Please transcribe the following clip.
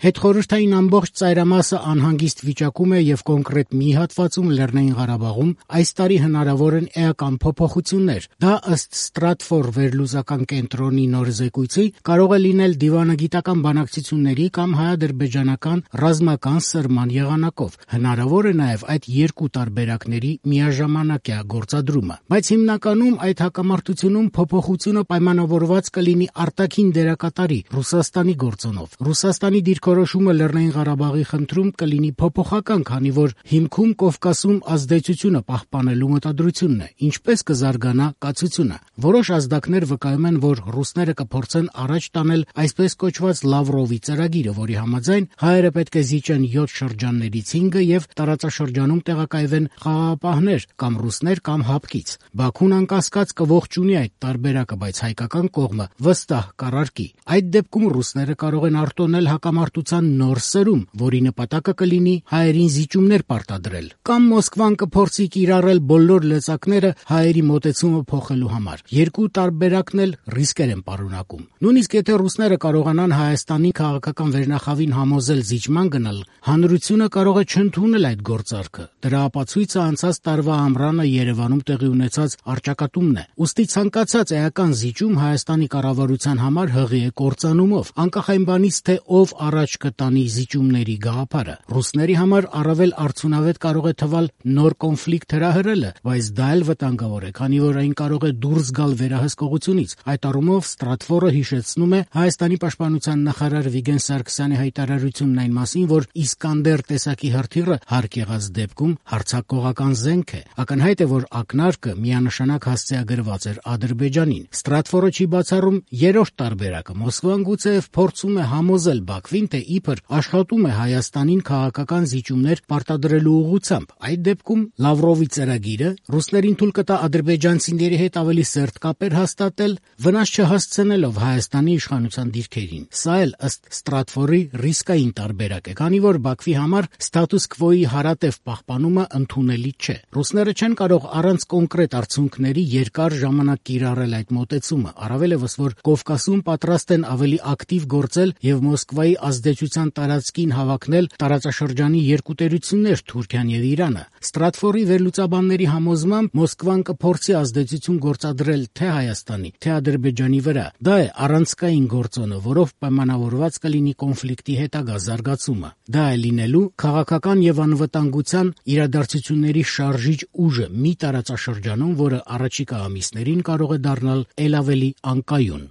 Հետխորհրդային ամբողջ ծայրամասը անհանգիստ վիճակում է եւ կոնկրետ մի հատվածում Լեռնային Ղարաբաղում այս տարի հնարավոր են էական փոփոխություններ։ Դա ըստ Stratfor վերլուծական կենտրոնի նոր զեկույցի կարող է լինել դիվանագիտական բանակցությունների կամ հայ-ադրբեջանական ռազմական սրման եղանակով։ Հնարավոր է նաեւ այդ երկու տարբերակների միաժամանակյա գործադրումը։ Բայց հիմնականում այդ հակամարտությունում փոփոխությունը պայմանավորված կլինի արտաքին դերակատարի Ռուսաստանի գործոնով։ Ռուսաստանի դիրքորոշումը Լեռնային Ղարաբաղի խնդրում կլինի փոփոխական, քանի որ հիմքում Կովկասում ազդեցությունը պահպանելու մտադրությունն է, ինչպես կզարգանա կացությունը։ Որոշ ազդակներ վկայում են, որ ռուսները կփորձեն առաջ տանել այսպես կոչված Լավրովի ծրագիրը, որի համաձայն հայերը պետք է զիջեն 7 շրջաններից 5-ը եւ տարածաշրջանում տեղակայվեն խաղաղապահներ կամ ռուսներ կամ հապկից։ Բաքուն անկասկած կողջունի այդ տարբերակը, բայց հայկական կողմը վստահ կառարկի։ Այդ դեպքում ռուսները կարող են արտոնել հակամարտության նոր սրում, որի նպատակը կլինի հայերին զիջումներ պարտադրել։ Կամ Մոսկվան կփորձի կիրառել բոլոր լծակները հայերի մոտեցումը փոխելու համար։ Երկու տարբերակն էլ ռիսկեր են պարունակում։ Նույնիսկ եթե ռուսները կարողանան Հայաստանի քաղաքական վերնախավին համոզել զիջման գնալ, հանրությունը կարող է չընդունել այդ գործարքը։ Դրա ապացույցը անցած տարվա ամռանը Երևանում տեղի ունեցած առճակատումն է։ Ուստի ցանկացած էական զիջում Հայաստանի կառավարության համար հղի է կործանումով, անկախ այն բանից, թե ով առաջ կտանի զիջումների գաղափարը։ Ռուսների համար առավել արդյունավետ կարող է թվալ նոր կոնֆլիկտ հրահրելը, բայց դա էլ վտանգավոր է, քանի որ այն կարող է դուրս գալ վերահսկողությունից։ Այդ առումով Stratfor-ը հիշեցնում է Հայաստանի պաշտպանության նախարար Վիգեն Սարգսյանի հայտարարությունն այն մասին, որ Իսկանդեր տեսակի հրթիռը հարկ եղած դեպքում հարձակողական զենք է։ Ակնհայտ է, որ ակնարկը միանշանակ հասցեագրված էր Ադրբեջանին։ Stratfor-ը չի բացառում երրորդ տարբերակը։ Մոսկվան գուցեև փորձում է համոզել Բաքվին, թե իբր աշխատում է Հայաստանին քաղաքական զիջումներ պարտադրելու ուղղությամբ։ Այդ դեպքում Լավրովի ծրագիրը ռուսներին թույլ կտա ադրբեջանցիների հետ ավելի սերտ կապեր հաստատել, վնաս չհասցնելով Հայաստանի իշխանության դիրքերին։ Սա էլ ըստ Stratfor-ի ռիսկային տարբերակ է, քանի որ Բաքվի համար ստատուս քվոյի հարատև պահպանումը ընդունելի չէ։ Ռուսները չեն կարող առանց կոնկրետ արդյունքների երկար ժամանակ կիրառել այդ մոտեցումը, առավելևս որ Կովկասում պատրաստ են ավելի ակտիվ գործել եւ Մոսկվայի ազդեցության տարածքին հավակնել տարածաշրջանի երկու տերություններ՝ Թուրքիան եւ Իրանը։ Stratfor-ի վերլուծաբանների համոզմամբ Մոսկվան կփորձի ազդեցություն գործադրել թե Հայաստանի, թե Ադրբեջանի վրա։ Դա է առանցքային գործոնը, որով պայմանավորված կլինի կոնֆլիկտի հետագա զարգացումը։ Դա է լինելու քաղաքական եւ անվտանգության իրադարձությունների շարժիչ ուժը մի տարածաշրջանում, որը առաջիկա ամիսներին կարող է դառնալ ել ավելի անկայուն։